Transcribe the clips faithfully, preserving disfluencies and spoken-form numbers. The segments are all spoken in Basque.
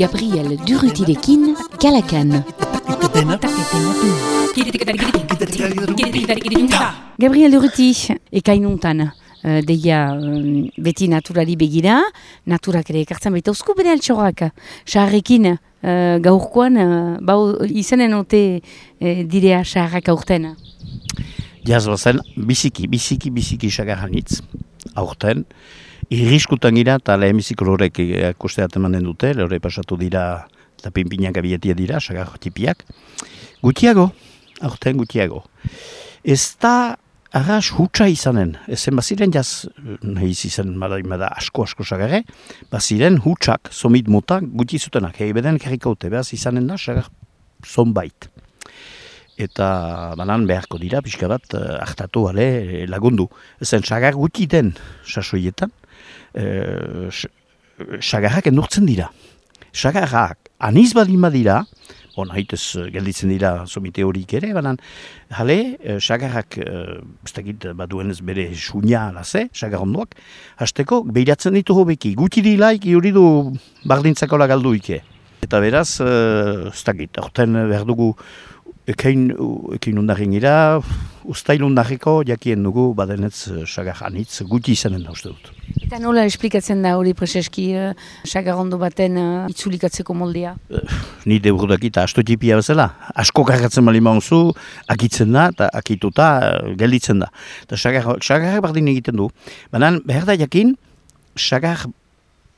Gabriel Durrutirekin Kalakan. Gabriel Durruti, ekainuntan, uh, deia um, beti naturari begira, naturak ere ekartzen baita uzku bere altxorrak. Saharrekin uh, gaurkoan, uh, bau izanen ote uh, direa saharrak aurten. Jaz bazen, biziki, biziki, biziki sagarranitz, aurten. Irriskutan gira, eta lehenbiziko lorek ikusteat emanen dute, lore pasatu dira, eta pinpinak abietia dira, sagar tipiak. Gutiago, aurten gutiago. Ez da arras hutsa izanen, ezen baziren jaz, nahi izan mada asko-asko sagarre, baziren hutsak, somit motak, guti zutenak, hei beden kerrikaute, behaz izanen da, sagar zonbait. Eta banan beharko dira, pixka bat, hartatu ale lagundu. Ezen, sagar guti den sasoietan, e, sagarrak endurtzen dira. Sagarrak aniz badin badira, bon, haitez gelditzen dira somite horik ere, banan, jale, sagarrak, ez dakit baduenez bere sunia alaze, sagar ondoak, hasteko behiratzen ditu hobeki. Guti dilaik, hori du bardintzakola galduike. Eta beraz, ez dakit, horten behar dugu, Ekein, ekein undarren gira, ustail undarreko jakien dugu badenetz sagar anitz guti izanen da uste dut. Eta nola esplikatzen da hori preseski uh, sagar ondo baten uh, itzulikatzeko moldea? Uh, ni deburudaki eta astotipia bezala. Asko kargatzen bali maunzu, akitzen da eta akituta uh, gelditzen da. Eta sagar, sagar bardin egiten du. Baina behar da jakin, sagar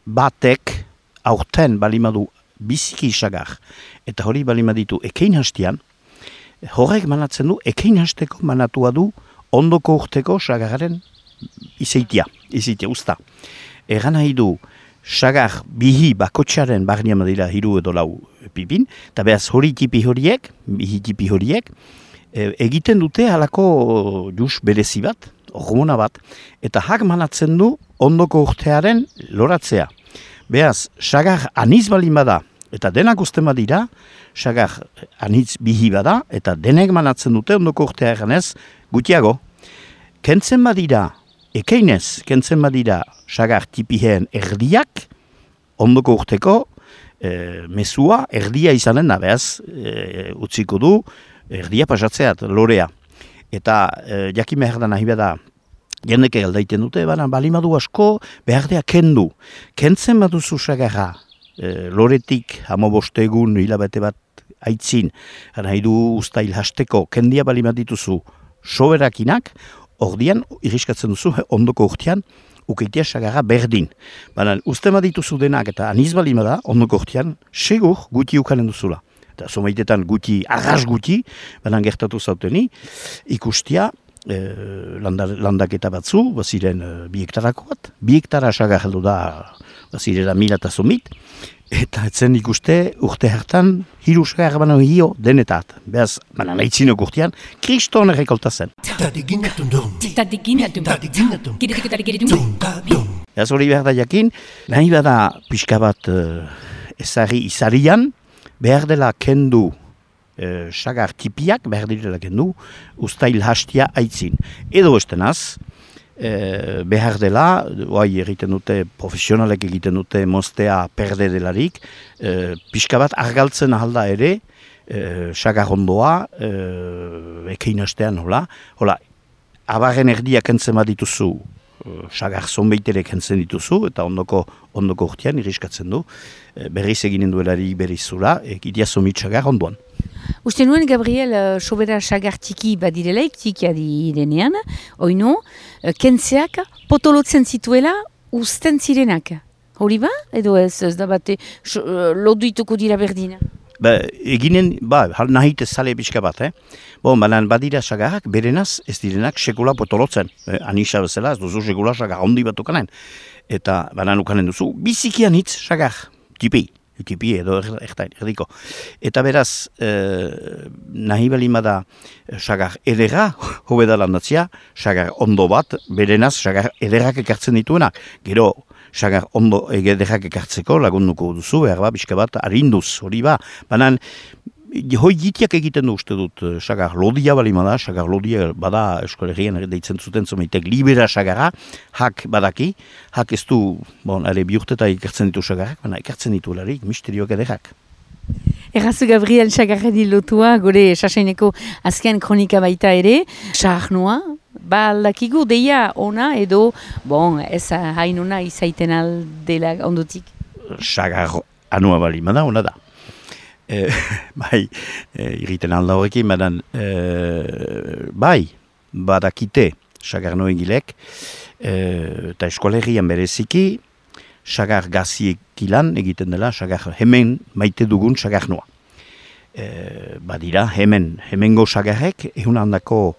batek aurten balimadu biziki sagar. Eta hori balimaditu ekein hastian, horrek manatzen du, ekein hasteko manatua du ondoko urteko sagararen izeitia, izeitia, usta. Egan nahi du, sagar bihi bakotxaren barnean badira hiru edo lau pipin, eta behaz hori tipi horiek, bihi tipi horiek, e, egiten dute halako jus berezi bat, hormona bat, eta hak manatzen du ondoko urtearen loratzea. Behaz, sagar aniz balin bada, eta denak usten badira, sagar anitz bihi bada, eta denek manatzen dute ondoko urtea eganez gutiago. Kentzen badira, ekeinez, kentzen badira sagar tipiheen erdiak, ondoko urteko e, mesua erdia izanen da, behaz, e, utziko du, erdia pasatzeat, lorea. Eta e, jakin behar da nahi bada, jendeke aldaiten dute, baina balimadu asko behardea kendu. Kentzen baduzu sagarra, e, loretik, hamaboste egun, hilabete bat, aitzin, nahi du ustail hasteko, kendia balimat dituzu soberakinak, ordian, irriskatzen duzu, ondoko urtean, ukeitea sagarra berdin. Baina, ustema dituzu denak eta aniz balimada, ondoko urtean, segur guti ukanen duzula. Eta somaitetan guti, arras guti, baina gertatu zauteni, ikustia, e, landak, landaketa batzu, baziren e, bi hektarako bat, bi hektara sagar heldu da, bazirera mila eta somit, eta etzen ikuste urte hartan hiru sagar bano hio denetat. Beaz, baina nahizinok urtean, kriston errekolta zen. Beaz hori behar da jakin, nahi bada pixka bat uh, ezari izarian, behar dela kendu uh, sagar tipiak, behar dela kendu, ustail hastia aitzin. Edo estenaz, E, behar dela, oai egiten dute, profesionalek egiten dute moztea perde delarik, e, pixka bat argaltzen ahalda ere, e, sagar ondoa, e, ekein hastean, hola, hola, abarren erdiak kentzen bat dituzu, e, sagar zonbeitere kentzen dituzu, eta ondoko, ondoko urtean irriskatzen du, e, berriz eginen duelari berriz zula, egitea zomit sagar ondoan. Uste nuen, Gabriel, uh, sobera sagar tiki badirelaik, tikia direnean, oino, uh, kentzeak potolotzen zituela usten zirenak. Hori ba? Edo ez, ez da bate, uh, loduituko dira berdina? Ba, eginen, ba, nahite zale pixka bat, eh? Bon, banan badira sagarrak, berenaz ez direnak sekula potolotzen. Eh, anisa bezala, ez duzu sekula sagar handi bat ukanen. Eta banan ukanen duzu, bizikian hitz sagar, tipi. Tipi edo erdiko. Eta beraz, eh, nahi balimada sagar edera, hobeda landatzia, sagar ondo bat, berenaz sagar ederrak ekartzen dituenak. Gero, sagar ondo ederrak ekartzeko lagunduko duzu, behar ba, bizka bat, arinduz, hori ba. Banan, hoi gitiak egiten du uste dut, sagar lodia balima da, sagar lodia bada eskolegian deitzen zuten zomeitek libera sagara, hak badaki, hak ez du, bon, are biurteta ikertzen ditu sagarrak, baina ikertzen ditu larik, misterioak ederrak. Errazu Gabriel Sagarredi lotua, gure sasaineko azken kronika baita ere, saharnoa, ba aldakigu deia ona edo, bon, ez hain ona izaiten aldela ondotik? Sagar anua balima da, ona da. E, bai, e, irriten alda horrekin, badan, e, bai, badakite sagarno egilek, e, eta eskolegian bereziki, sagar gaziek ilan egiten dela, sagar hemen maite dugun sagarnoa. E, badira, hemen, hemengo sagarrek, ehun handako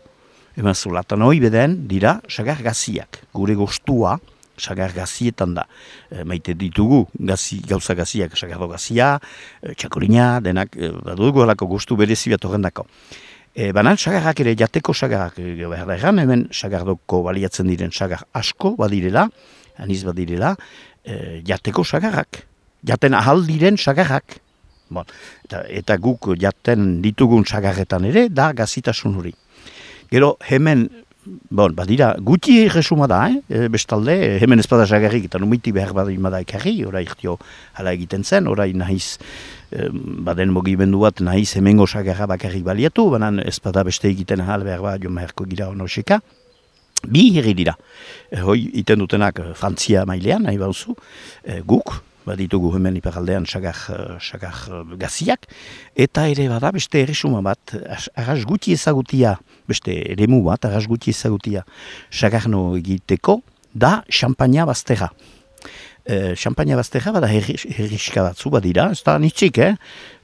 emazulatan hori beden, dira sagar gaziak, gure gostua, sagar gazietan da. E, maite ditugu gazi, gauza gaziak, sagardo gazia, e, txakolina, denak, e, badugu alako gustu berezi bat horrendako. E, banan, sagarrak ere, jateko sagarrak, e, behar da egan, hemen sagardoko baliatzen diren sagar asko badirela, aniz badirela, e, jateko sagarrak, jaten ahal diren sagarrak. Bon, eta, eta guk jaten ditugun sagarretan ere, da gazitasun hori. Gero, hemen, bon, badira, guti resuma da, eh? Bestalde, hemen ez bada sagarrik, eta numiti behar badima da ekarri, orai irtio hala egiten zen, orai nahiz, eh, baden mogimendu bat, nahiz hemengo sagarra bakarrik baliatu, banan ez bada beste egiten ahal behar bat, jo maherko gira honoseka. Bi herri dira, e, hoi iten dutenak Frantzia mailean, nahi bauzu, e, guk, baditugu hemen iparaldean sagar, sagar gaziak, eta ere bada beste erresuma bat, arras guti ezagutia, beste eremu bat, arras guti ezagutia sagarno egiteko, da xampaina bazterra. E, xampaina bazterra bada herriska batzu badira, ez da nitzik, eh?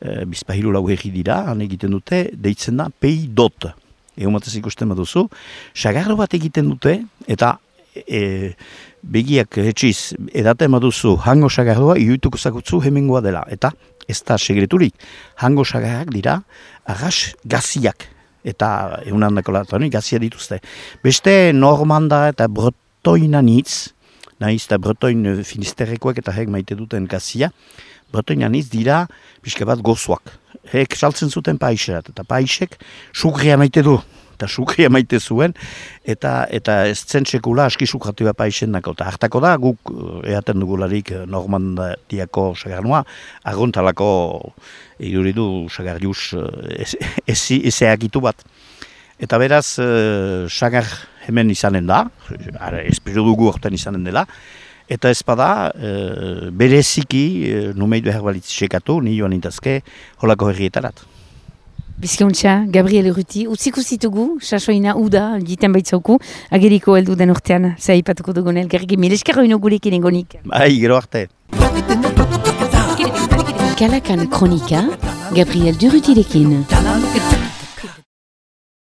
E, bizpahiru lau herri dira, han egiten dute, deitzen da pei dot. Egun batez ikusten baduzu, sagarro bat egiten dute, eta e, begiak etxiz edaten baduzu hango sagarroa iuituko zakutzu hemengoa dela. Eta ez da segreturik, hango sagarrak dira arras gaziak. Eta egun handako latoni gazia dituzte. Beste normanda eta bretoina nitz, nahiz eta bretoin finisterrekoak eta hek maite duten gazia, bretoina nitz dira pixka bat gozoak. Hek saltzen zuten paixerat, eta paixek sukria maite du, eta sukria maite zuen, eta eta ez zen sekula aski sukratua paixen dako. Eta hartako da, guk eaten dugularik Normandiako sagarnoa, argontalako iduridu sagarrius ezeakitu bat. Eta beraz, sagar hemen izanen da, espero dugu horten izanen dela, eta ez bada, e, bereziki, e, numeit behar balitz sekatu, ni joan intazke, holako herrietarat. Bizkauntza, Gabriel Urruti, utziko zitugu, sasoina uda, jiten baitzauku, ageriko heldu den urtean, zaipatuko dugun elgarriki, mileskero ino gurekin egonik. Bai, gero arte. Kalakan kronika, Gabriel Urrutirekin.